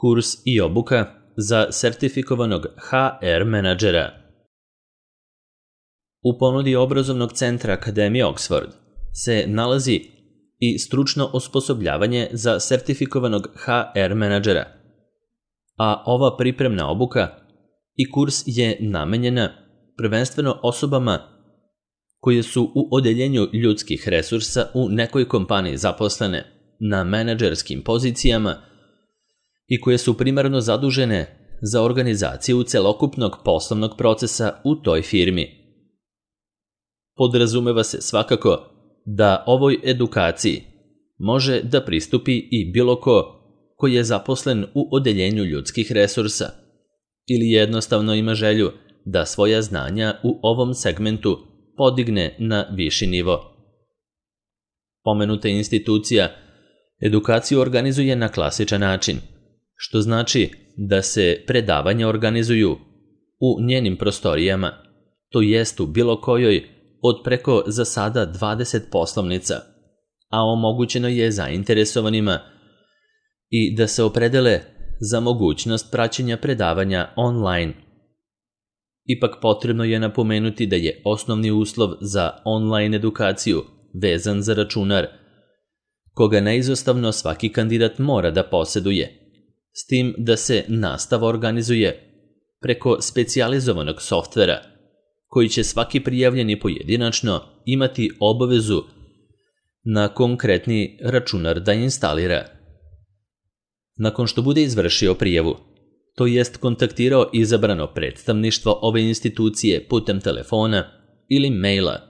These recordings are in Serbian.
kurs i obuka za sertifikovanog HR menadžera. U ponudi obrazovnog centra Akademije Oxford se nalazi i stručno osposobljavanje za sertifikovanog HR menadžera, a ova pripremna obuka i kurs je namenjena prvenstveno osobama koje su u odeljenju ljudskih resursa u nekoj kompaniji zaposlene na menadžerskim pozicijama i koje su primarno zadužene za organizaciju celokupnog poslovnog procesa u toj firmi. Podrazumeva se svakako da ovoj edukaciji može da pristupi i bilo ko je zaposlen u odeljenju ljudskih resursa ili jednostavno ima želju da svoja znanja u ovom segmentu podigne na viši nivo. Pomenuta institucija edukaciju organizuje na klasičan način, što znači da se predavanja organizuju u njenim prostorijama, to jest u bilo kojoj od preko za sada 20 poslovnica, a omogućeno je zainteresovanima i da se opredele za mogućnost praćenja predavanja online. Ipak potrebno je napomenuti da je osnovni uslov za online edukaciju vezan za računar, koga neizostavno svaki kandidat mora da poseduje, s tim da se nastava organizuje preko specijalizovanog softvera, koji će svaki prijavljeni pojedinačno imati obavezu na konkretni računar da instalira. Nakon što bude izvršio prijavu, to jest kontaktirao izabrano predstavništvo ove institucije putem telefona ili maila,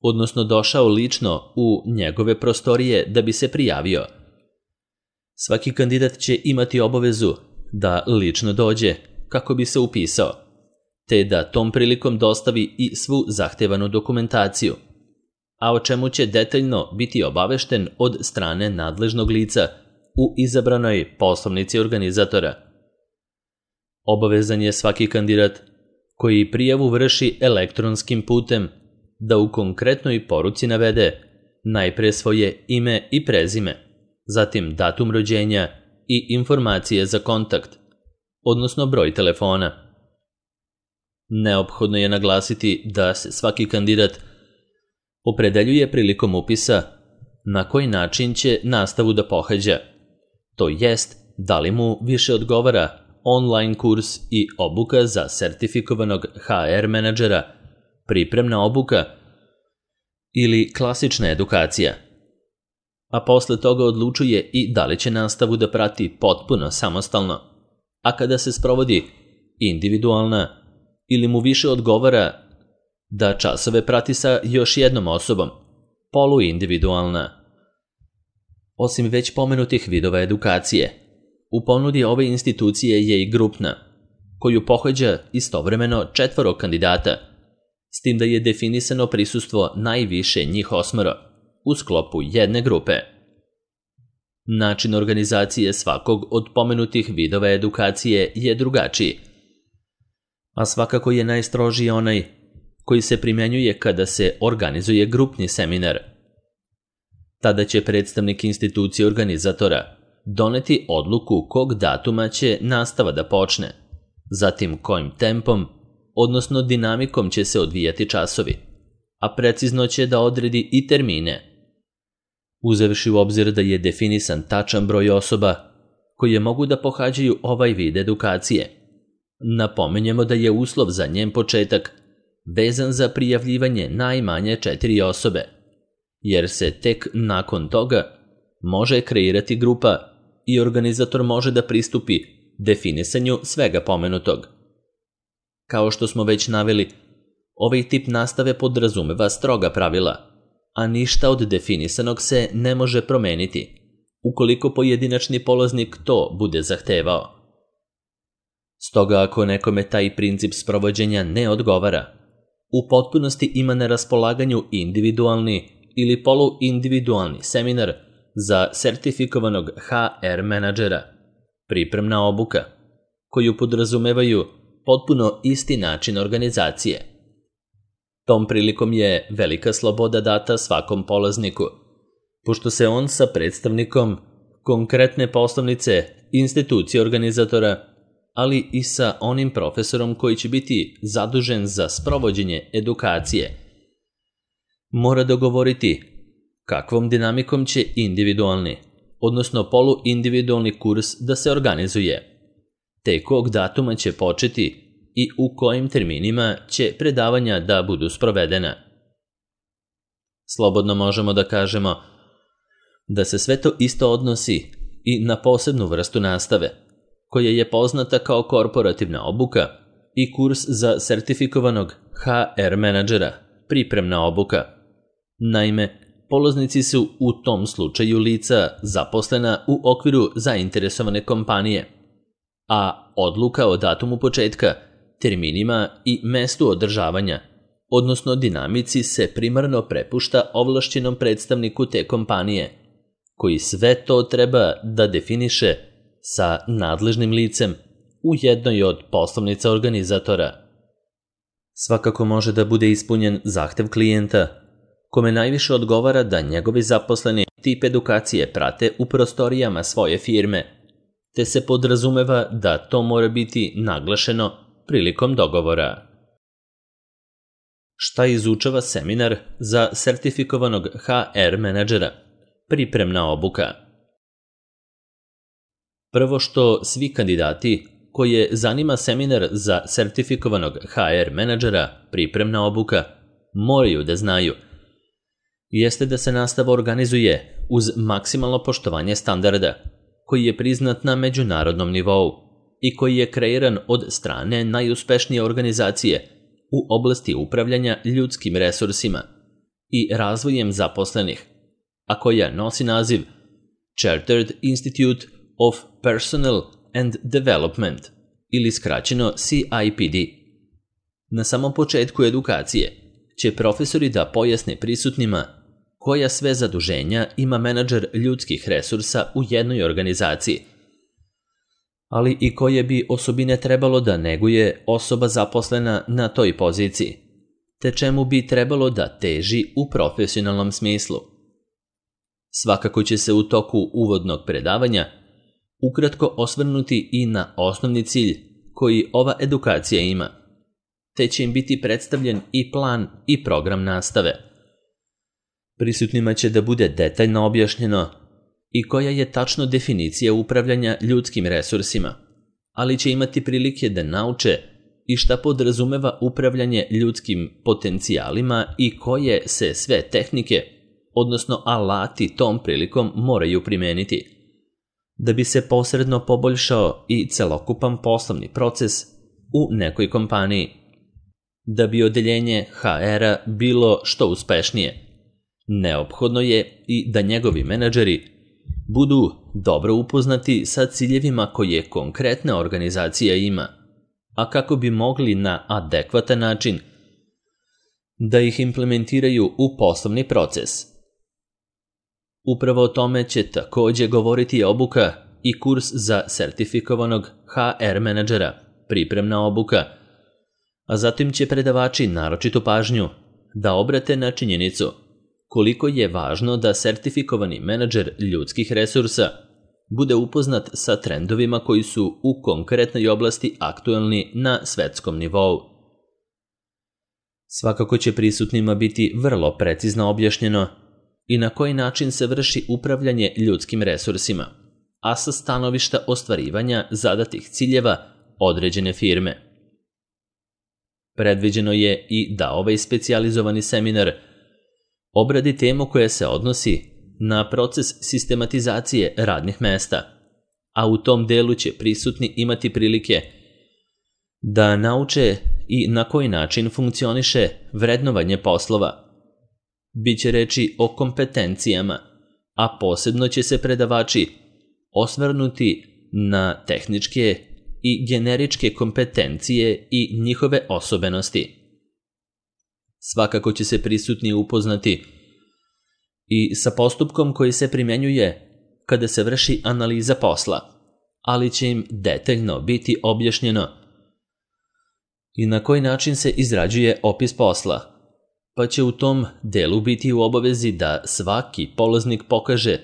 odnosno došao lično u njegove prostorije da bi se prijavio. Svaki kandidat će imati obavezu da lično dođe kako bi se upisao, te da tom prilikom dostavi i svu zahtevanu dokumentaciju, a o čemu će detaljno biti obavešten od strane nadležnog lica u izabranoj poslovnici organizatora. Obavezan je svaki kandidat koji prijavu vrši elektronskim putem da u konkretnoj poruci navede najpre svoje ime i prezime, zatim datum rođenja i informacije za kontakt, odnosno broj telefona. Neophodno je naglasiti da se svaki kandidat opredeljuje prilikom upisa na koji način će nastavu da pohađa, to jest da li mu više odgovara online kurs i obuka za sertifikovanog HR menadžera, pripremna obuka ili klasična edukacija, a posle toga odlučuje i da li će nastavu da prati potpuno samostalno, a kada se sprovodi individualna ili mu više odgovara da časove prati sa još jednom osobom, poluindividualna. Osim već pomenutih vidova edukacije, u ponudi ove institucije je i grupna, koju pohađa istovremeno 4 kandidata, s tim da je definisano prisustvo najviše njih 8 u sklopu jedne grupe. Način organizacije svakog od pomenutih vidova edukacije je drugačiji, a svakako je najstrožiji onaj koji se primenjuje kada se organizuje grupni seminar. Tada će predstavnik institucije organizatora doneti odluku kog datuma će nastava da počne, zatim kojim tempom, odnosno dinamikom će se odvijati časovi, a precizno će da odredi i termine, uzevši u obzir da je definisan tačan broj osoba koje mogu da pohađaju ovaj vid edukacije. Napomenjemo da je uslov za njen početak vezan za prijavljivanje najmanje 4 osobe, jer se tek nakon toga može kreirati grupa i organizator može da pristupi definisanju svega pomenutog. Kao što smo već naveli, ovaj tip nastave podrazumeva stroga pravila, a ništa od definisanog se ne može promeniti, ukoliko pojedinačni polaznik to bude zahtevao. Stoga ako nekome taj princip sprovođenja ne odgovara, u potpunosti ima na raspolaganju individualni ili poluindividualni seminar za sertifikovanog HR menadžera, pripremna obuka, koju podrazumevaju potpuno isti način organizacije. Tom prilikom je velika sloboda data svakom polazniku, pošto se on sa predstavnikom konkretne poslovnice institucije organizatora, ali i sa onim profesorom koji će biti zadužen za sprovođenje edukacije. Mora dogovoriti kakvom dinamikom će individualni, odnosno poluindividualni kurs da se organizuje, te kog datuma će početi i u kojim terminima će predavanja da budu sprovedena. Slobodno možemo da kažemo da se sve to isto odnosi i na posebnu vrstu nastave, koja je poznata kao korporativna obuka i kurs za sertifikovanog HR menadžera, pripremna obuka. Naime, polaznici su u tom slučaju lica zaposlena u okviru zainteresovane kompanije, a odluka o datumu početka, terminima i mestu održavanja, odnosno dinamici, se primarno prepušta ovlašćenom predstavniku te kompanije, koji sve to treba da definiše sa nadležnim licem u jednoj od poslovnica organizatora. Svakako može da bude ispunjen zahtev klijenta, kome najviše odgovara da njegovi zaposleni tip edukacije prate u prostorijama svoje firme, te se podrazumeva da to mora biti naglašeno prilikom dogovora. Šta izučava seminar za sertifikovanog HR menadžera? Pripremna obuka. Prvo što svi kandidati koje zanima seminar za sertifikovanog HR menadžera, pripremna obuka, moraju da znaju jeste da se nastava organizuje uz maksimalno poštovanje standarda, koji je priznat na međunarodnom nivou i koji je kreiran od strane najuspešnije organizacije u oblasti upravljanja ljudskim resursima i razvojem zaposlenih, a koja nosi naziv Chartered Institute of Personnel and Development ili skraćeno CIPD. Na samom početku edukacije će profesori da pojasne prisutnima koja sve zaduženja ima menadžer ljudskih resursa u jednoj organizaciji, ali i koje bi osobine trebalo da neguje osoba zaposlena na toj poziciji, te čemu bi trebalo da teži u profesionalnom smislu. Svakako će se u toku uvodnog predavanja ukratko osvrnuti i na osnovni cilj koji ova edukacija ima, te će im biti predstavljen i plan i program nastave. Prisutnima će da bude detaljno objašnjeno i koja je tačno definicija upravljanja ljudskim resursima, ali će imati prilike da nauče i šta podrazumeva upravljanje ljudskim potencijalima i koje se sve tehnike, odnosno alati tom prilikom moraju primeniti, da bi se posredno poboljšao i celokupan poslovni proces u nekoj kompaniji. Da bi odeljenje HR-a bilo što uspešnije, neophodno je i da njegovi menadžeri budu dobro upoznati sa ciljevima koje konkretna organizacija ima, a kako bi mogli na adekvatan način da ih implementiraju u poslovni proces. Upravo o tome će takođe govoriti obuka i kurs za sertifikovanog HR menadžera, pripremna obuka, a zatim će predavači naročitu pažnju da obrate na činjenicu koliko je važno da sertifikovani menadžer ljudskih resursa bude upoznat sa trendovima koji su u konkretnoj oblasti aktuelni na svetskom nivou. Svakako će prisutnima biti vrlo precizno objašnjeno i na koji način se vrši upravljanje ljudskim resursima, a sa stanovišta ostvarivanja zadatih ciljeva određene firme. Predviđeno je i da ovaj specijalizovani seminar obradi temu koja se odnosi na proces sistematizacije radnih mesta, a u tom delu će prisutni imati prilike da nauče i na koji način funkcioniše vrednovanje poslova. Biće reči o kompetencijama, a posebno će se predavači osvrnuti na tehničke i generičke kompetencije i njihove osobenosti. Svakako će se prisutni upoznati i sa postupkom koji se primenjuje kada se vrši analiza posla, ali će im detaljno biti objašnjeno i na koji način se izrađuje opis posla, pa će u tom delu biti u obavezi da svaki polaznik pokaže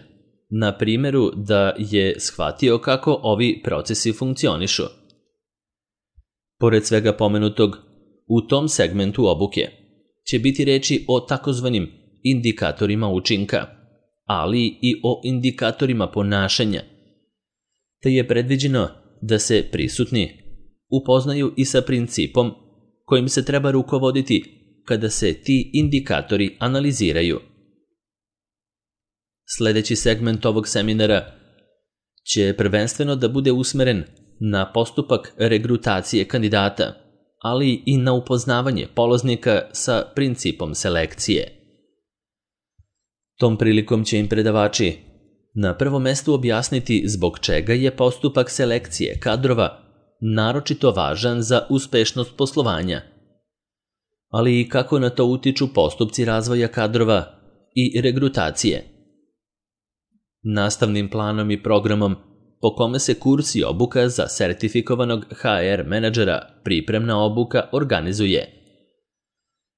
na primjeru da je shvatio kako ovi procesi funkcionišu. Pored svega pomenutog, u tom segmentu obuke će biti reči o takozvanim indikatorima učinka, ali i o indikatorima ponašanja, te je predviđeno da se prisutni upoznaju i sa principom kojim se treba rukovoditi kada se ti indikatori analiziraju. Sljedeći segment ovog seminara će prvenstveno da bude usmeren na postupak regrutacije kandidata, ali i na upoznavanje polaznika sa principom selekcije. Tom prilikom će im predavači na prvom mestu objasniti zbog čega je postupak selekcije kadrova naročito važan za uspešnost poslovanja, ali i kako na to utiču postupci razvoja kadrova i regrutacije. Nastavnim planom i programom po kome se kurs i obuka za sertifikovanog HR menadžera pripremna obuka organizuje,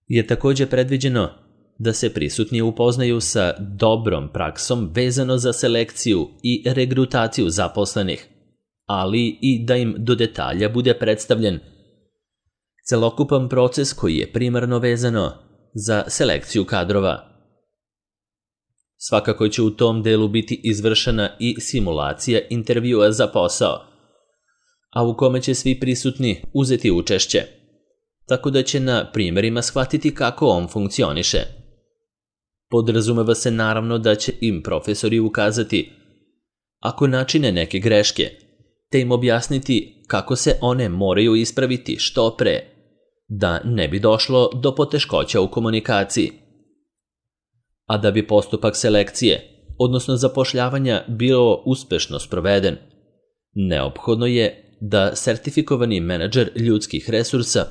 je također predviđeno da se prisutni upoznaju sa dobrom praksom vezano za selekciju i regrutaciju zaposlenih, ali i da im do detalja bude predstavljen celokupan proces koji je primarno vezano za selekciju kadrova. Svakako će u tom delu biti izvršena i simulacija intervjua za posao, a u kome će svi prisutni uzeti učešće, tako da će na primjerima shvatiti kako on funkcioniše. Podrazumeva se naravno da će im profesori ukazati ako načine neke greške, te im objasniti kako se one moraju ispraviti što pre, da ne bi došlo do poteškoća u komunikaciji. A da bi postupak selekcije, odnosno zapošljavanja, bio uspešno sproveden, neophodno je da sertifikovani menadžer ljudskih resursa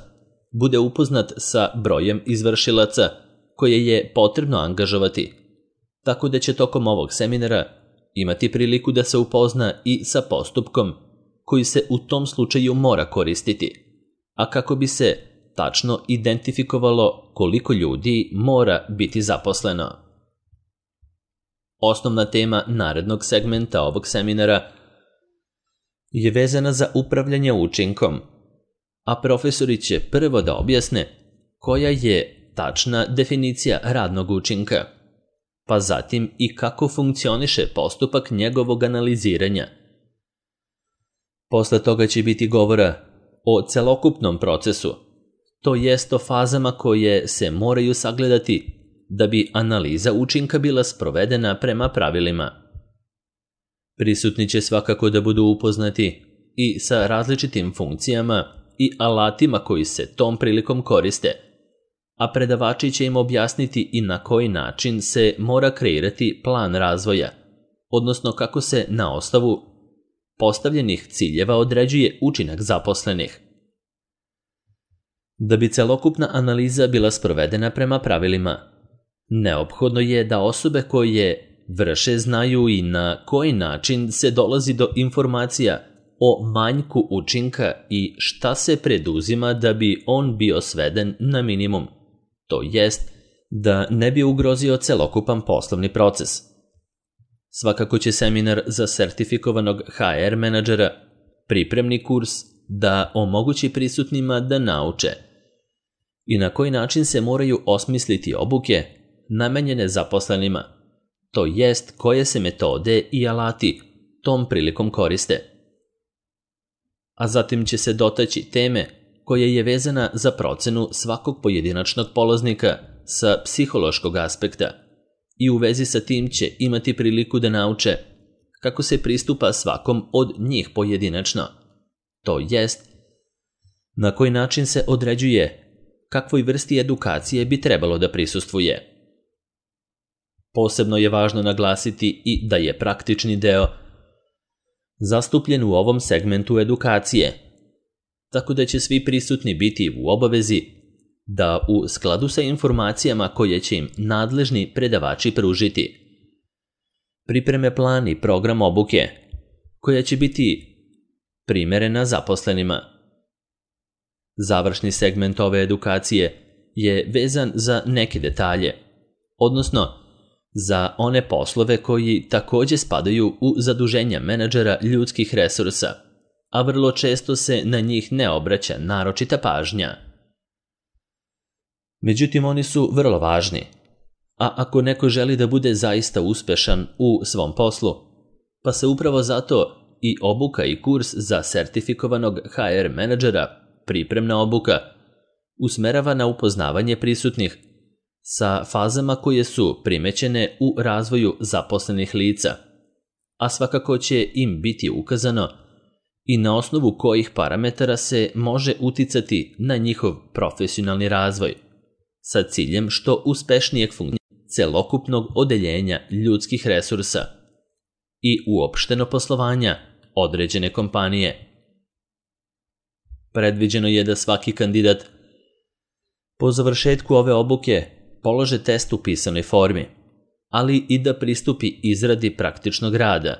bude upoznat sa brojem izvršilaca koje je potrebno angažovati, tako da će tokom ovog seminara imati priliku da se upozna i sa postupkom koji se u tom slučaju mora koristiti, a kako bi se tačno identifikovalo koliko ljudi mora biti zaposleno. Osnovna tema narednog segmenta ovog seminara je vezana za upravljanje učinkom, a profesori će prvo da objasne koja je tačna definicija radnog učinka, pa zatim i kako funkcioniše postupak njegovog analiziranja. Posle toga će biti govora o celokupnom procesu, to jest o fazama koje se moraju sagledati da bi analiza učinka bila sprovedena prema pravilima. Prisutni će svakako da budu upoznati i sa različitim funkcijama i alatima koji se tom prilikom koriste, a predavači će im objasniti i na koji način se mora kreirati plan razvoja, odnosno kako se na osnovu postavljenih ciljeva određuje učinak zaposlenih. Da bi celokupna analiza bila sprovedena prema pravilima, neophodno je da osobe koje vrše znaju i na koji način se dolazi do informacija o manjku učinka i šta se preduzima da bi on bio sveden na minimum, to jest da ne bi ugrozio celokupan poslovni proces. Svakako će seminar za sertifikovanog HR menadžera, pripremni kurs, da omogući prisutnima da nauče i na koji način se moraju osmisliti obuke namenjene zaposlenima, to jest koje se metode i alati tom prilikom koriste. A zatim će se dotaći teme koja je vezana za procenu svakog pojedinačnog polaznika sa psihološkog aspekta i u vezi sa tim će imati priliku da nauče kako se pristupa svakom od njih pojedinačno, to jest na koji način se određuje kakvoj vrsti edukacije bi trebalo da prisustvuje. Posebno je važno naglasiti i da je praktični deo zastupljen u ovom segmentu edukacije, tako da će svi prisutni biti u obavezi da u skladu sa informacijama koje će im nadležni predavači pružiti pripreme plan i program obuke koja će biti primerena zaposlenima. Završni segment ove edukacije je vezan za neke detalje, odnosno za one poslove koji takođe spadaju u zaduženja menadžera ljudskih resursa, a vrlo često se na njih ne obraća naročita pažnja. Međutim, oni su vrlo važni, a ako neko želi da bude zaista uspešan u svom poslu, pa se upravo zato i obuka i kurs za sertifikovanog HR menadžera, pripremna obuka, usmerava na upoznavanje prisutnih sa fazama koje su primećene u razvoju zaposlenih lica, a svakako će im biti ukazano i na osnovu kojih parametara se može uticati na njihov profesionalni razvoj, sa ciljem što uspešnijeg funkcioniranja celokupnog odeljenja ljudskih resursa i uopšteno poslovanja određene kompanije. Predviđeno je da svaki kandidat po završetku ove obuke polože test u pisanoj formi, ali i da pristupi izradi praktičnog rada,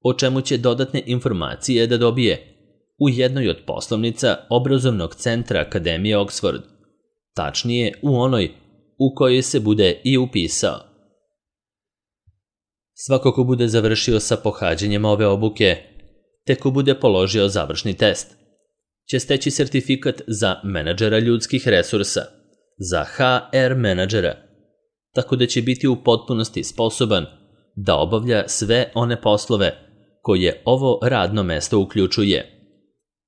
o čemu će dodatne informacije da dobije u jednoj od poslovnica obrazovnog centra Akademije Oxford, tačnije u onoj u kojoj se bude i upisao. Svako ko bude završio sa pohađanjem ove obuke, te ko bude položio završni test, će steći sertifikat za menadžera ljudskih resursa, za HR menadžera, tako da će biti u potpunosti sposoban da obavlja sve one poslove koje ovo radno mesto uključuje,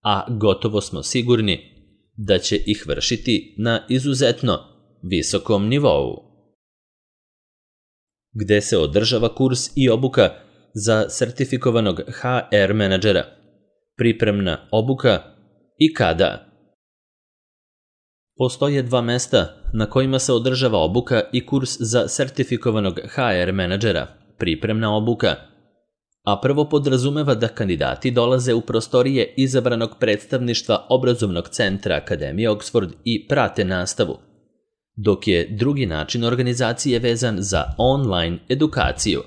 a gotovo smo sigurni da će ih vršiti na izuzetno visokom nivou. Gde se održava kurs i obuka za sertifikovanog HR menadžera, pripremna obuka i kada? Postoje 2 mesta na kojima se održava obuka i kurs za sertifikovanog HR menadžera, pripremna obuka, a prvo podrazumeva da kandidati dolaze u prostorije izabranog predstavništva obrazovnog centra Akademije Oxford i prate nastavu, dok je drugi način organizacije vezan za online edukaciju.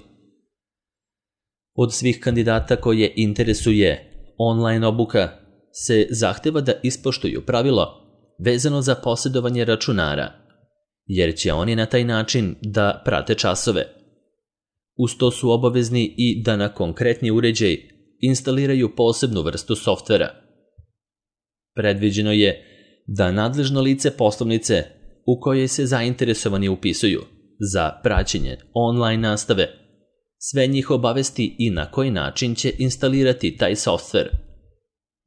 Od svih kandidata koje interesuje online obuka se zahteva da ispoštuju pravilo vezano za posjedovanje računara, jer će oni na taj način da prate časove. Uz to su obavezni i da na konkretni uređaj instaliraju posebnu vrstu softvera. Predviđeno je da nadležno lice poslovnice u kojoj se zainteresovani upisuju za praćenje online nastave sve njih obavesti i na koji način će instalirati taj softver.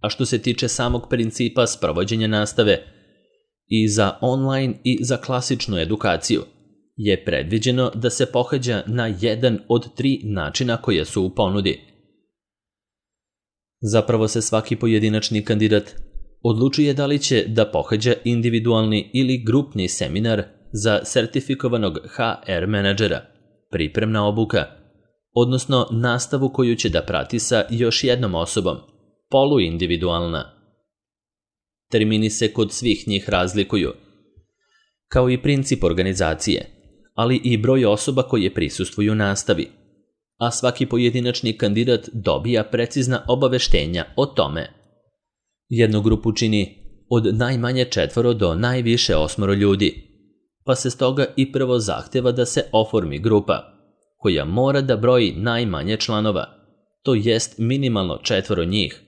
A što se tiče samog principa sprovođenja nastave, i za online i za klasičnu edukaciju je predviđeno da se pohađa na jedan od 3 načina koje su u ponudi. Zapravo se svaki pojedinačni kandidat odlučuje da li će da pohađa individualni ili grupni seminar za sertifikovanog HR menadžera, pripremna obuka, odnosno nastavu koju će da prati sa još jednom osobom, poluindividualna. Termini se kod svih njih razlikuju, kao i princip organizacije, ali i broj osoba koje prisustvuju nastavi, a svaki pojedinačni kandidat dobija precizna obaveštenja o tome. Jednu grupu čini od najmanje 4 do najviše 8 ljudi, pa se stoga i prvo zahteva da se oformi grupa, koja mora da broji najmanje članova, to jest minimalno 4 njih,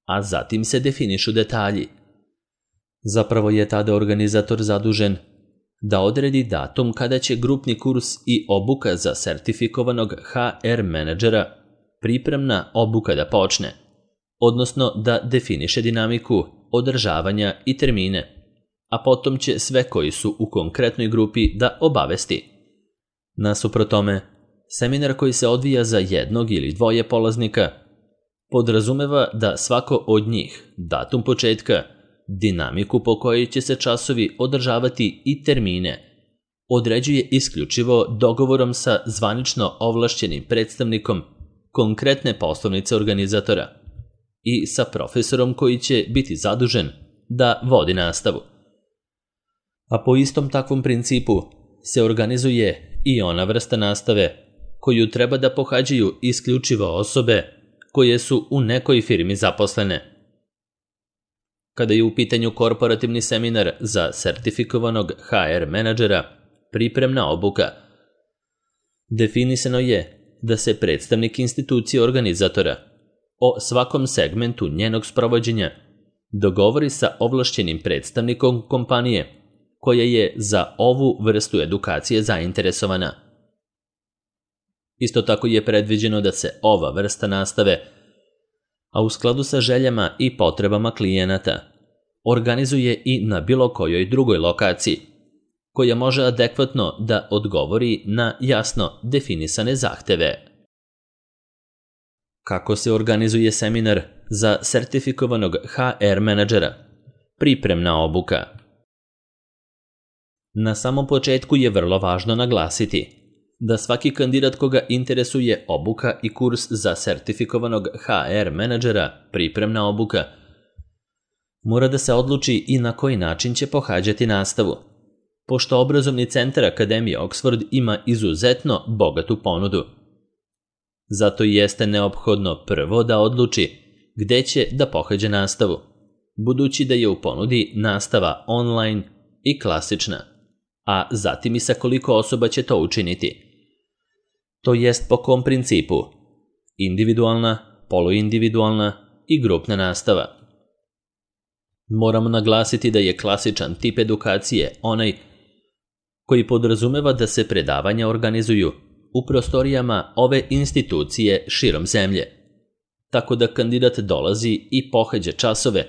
a zatim se definišu detalji. Zapravo je tada organizator zadužen da odredi datum kada će grupni kurs i obuka za sertifikovanog HR menadžera, pripremna obuka da počne, odnosno da definiše dinamiku održavanja i termine, a potom će sve koji su u konkretnoj grupi da obavesti. Nasuprot tome, seminar koji se odvija za jednog ili 2 polaznika podrazumeva da svako od njih datum početka, dinamiku po kojoj će se časovi održavati i termine određuje isključivo dogovorom sa zvanično ovlašćenim predstavnikom konkretne poslovnice organizatora i sa profesorom koji će biti zadužen da vodi nastavu. A po istom takvom principu se organizuje i ona vrsta nastave koju treba da pohađaju isključivo osobe koje su u nekoj firmi zaposlene. Kada je u pitanju korporativni seminar za sertifikovanog HR menadžera, pripremna obuka, Definisano je da se predstavnik institucije organizatora o svakom segmentu njenog sprovođenja dogovori sa ovlašćenim predstavnikom kompanije koja je za ovu vrstu edukacije zainteresovana. Isto tako je predviđeno da se ova vrsta nastave, a u skladu sa željama i potrebama klijenata, organizuje i na bilo kojoj drugoj lokaciji, koja može adekvatno da odgovori na jasno definisane zahteve. Kako se organizuje seminar za sertifikovanog HR menadžera? Pripremna obuka. Na samom početku je vrlo važno naglasiti da svaki kandidat koga interesuje obuka i kurs za sertifikovanog HR menadžera, pripremna obuka, mora da se odluči i na koji način će pohađati nastavu, pošto obrazovni centar Akademije Oxford ima izuzetno bogatu ponudu. Zato jeste neophodno prvo da odluči gde će da pohađa nastavu, budući da je u ponudi nastava online i klasična, a zatim i sa koliko osoba će to učiniti. To jest po kom principu? Individualna, poluindividualna i grupna nastava. Moramo naglasiti da je klasičan tip edukacije onaj koji podrazumeva da se predavanja organizuju u prostorijama ove institucije širom zemlje, tako da kandidat dolazi i pohađa časove,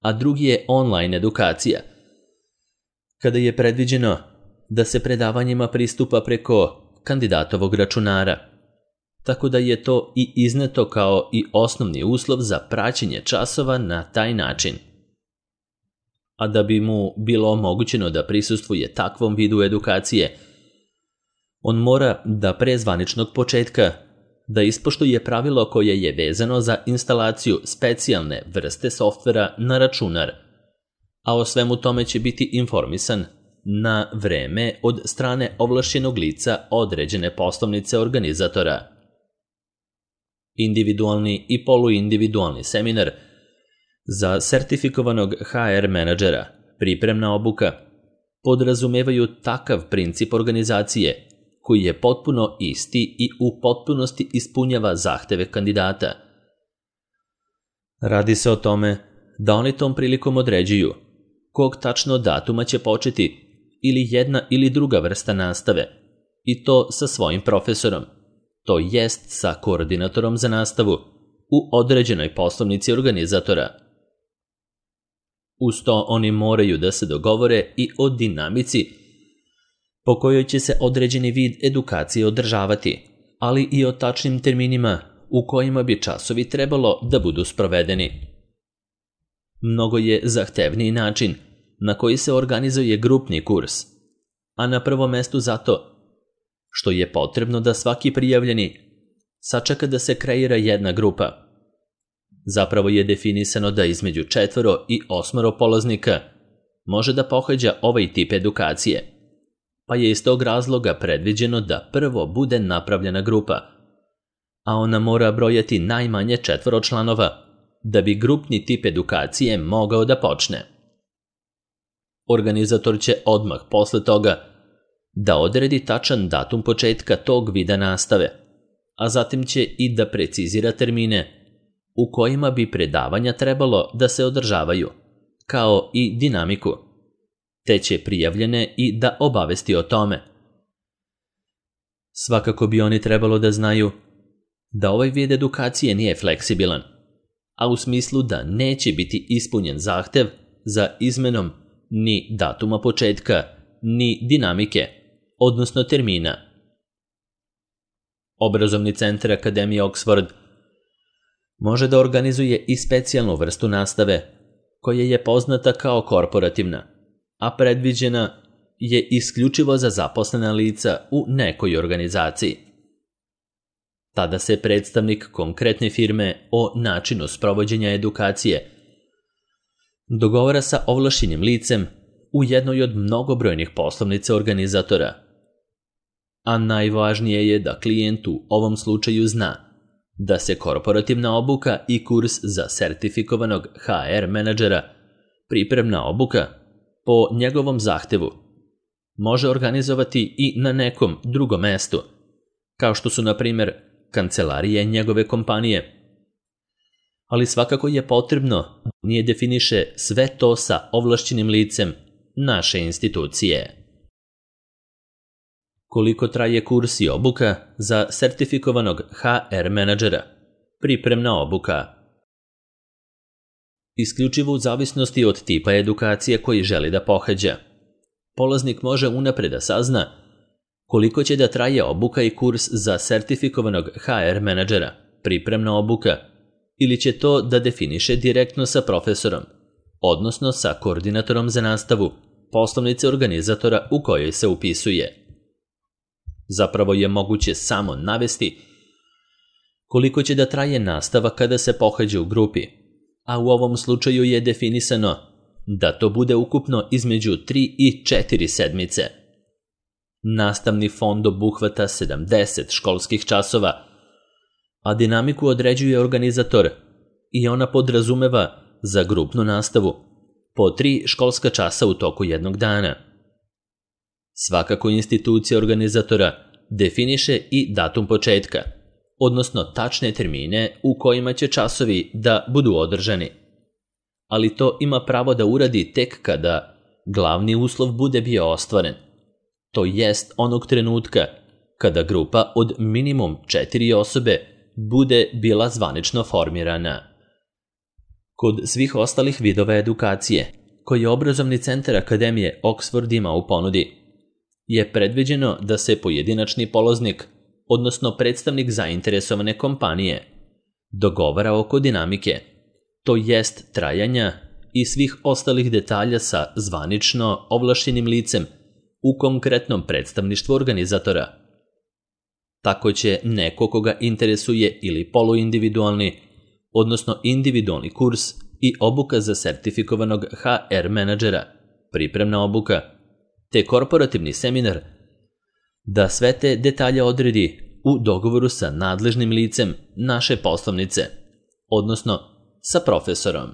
a drugi je online edukacija, kada je predviđeno da se predavanjima pristupa preko kandidatovog računara, tako da je to i izneto kao i osnovni uslov za praćenje časova na taj način. A da bi mu bilo omogućeno da prisustvuje takvom vidu edukacije, on mora da pre zvaničnog početka da ispoštuje pravilo koje je vezano za instalaciju specijalne vrste softvera na računar, a o svemu tome će biti informisan na vreme od strane ovlašćenog lica određene poslovnice organizatora. Individualni i poluindividualni seminar za sertifikovanog HR menadžera, pripremna obuka, podrazumevaju takav princip organizacije koji je potpuno isti i u potpunosti ispunjava zahteve kandidata. Radi se o tome da oni tom prilikom određuju kog tačno datuma će početi ili jedna ili druga vrsta nastave, i to sa svojim profesorom, to jest sa koordinatorom za nastavu u određenoj poslovnici organizatora. Uz to oni moraju da se dogovore i o dinamici po kojoj će se određeni vid edukacije održavati, ali i o tačnim terminima u kojima bi časovi trebalo da budu sprovedeni. Mnogo je zahtevniji način na koji se organizuje grupni kurs, a na prvom mestu zato što je potrebno da svaki prijavljeni sačeka da se kreira jedna grupa. Zapravo je definisano da između 4 i 8 polaznika može da pohađa ovaj tip edukacije, pa je iz tog razloga predviđeno da prvo bude napravljena grupa, a ona mora brojati najmanje 4 članova da bi grupni tip edukacije mogao da počne. Organizator će odmah posle toga da odredi tačan datum početka tog vida nastave, a zatim će i da precizira termine u kojima bi predavanja trebalo da se održavaju, kao i dinamiku, te će prijavljene i da obavesti o tome. Svakako bi oni trebalo da znaju da ovaj vid edukacije nije fleksibilan, a u smislu da neće biti ispunjen zahtev za izmenom ni datuma početka, ni dinamike, odnosno termina. Obrazovni centar Akademije Oxford može da organizuje i specijalnu vrstu nastave, koja je poznata kao korporativna, a predviđena je isključivo za zaposlena lica u nekoj organizaciji. Tada se predstavnik konkretne firme o načinu sprovođenja edukacije dogovara sa ovlašćenim licem u jednoj od mnogobrojnih poslovnica organizatora. A najvažnije je da klijent u ovom slučaju zna da se korporativna obuka i kurs za sertifikovanog HR menadžera, pripremna obuka, po njegovom zahtevu, može organizovati i na nekom drugom mestu, kao što su, na primjer, kancelarije njegove kompanije. Ali svakako je potrebno da nije definiše sve to sa ovlašćenim licem naše institucije. Koliko traje kurs i obuka za sertifikovanog HR menadžera? Pripremna obuka. Isključivo u zavisnosti od tipa edukacije koji želi da pohađa. Polaznik može unapred da sazna koliko će da traje obuka i kurs za sertifikovanog HR menadžera, pripremna obuka, ili će to da definiše direktno sa profesorom, odnosno sa koordinatorom za nastavu, poslovnice organizatora u kojoj se upisuje. Zapravo je moguće samo navesti koliko će da traje nastava kada se pohađa u grupi, a u ovom slučaju je definisano da to bude ukupno između 3 i 4 sedmice. Nastavni fond obuhvata 70 školskih časova, a dinamiku određuje organizator i ona podrazumeva za grupnu nastavu po 3 školska časa u toku jednog dana. Svakako institucija organizatora definiše i datum početka, odnosno tačne termine u kojima će časovi da budu održani. Ali to ima pravo da uradi tek kada glavni uslov bude bio ostvaren. To jest onog trenutka kada grupa od minimum 4 osobe bude bila zvanično formirana. Kod svih ostalih vidova edukacije, koje obrazovni centar Akademije Oxford ima u ponudi, je predviđeno da se pojedinačni polaznik, odnosno predstavnik zainteresovane kompanije, dogovara oko dinamike, to jest trajanja i svih ostalih detalja sa zvanično ovlašćenim licem u konkretnom predstavništvu organizatora. Tako će neko koga interesuje ili poluindividualni, odnosno individualni kurs i obuka za sertifikovanog HR menadžera, pripremna obuka, te korporativni seminar, da sve te detalje odredi u dogovoru sa nadležnim licem naše poslovnice, odnosno sa profesorom.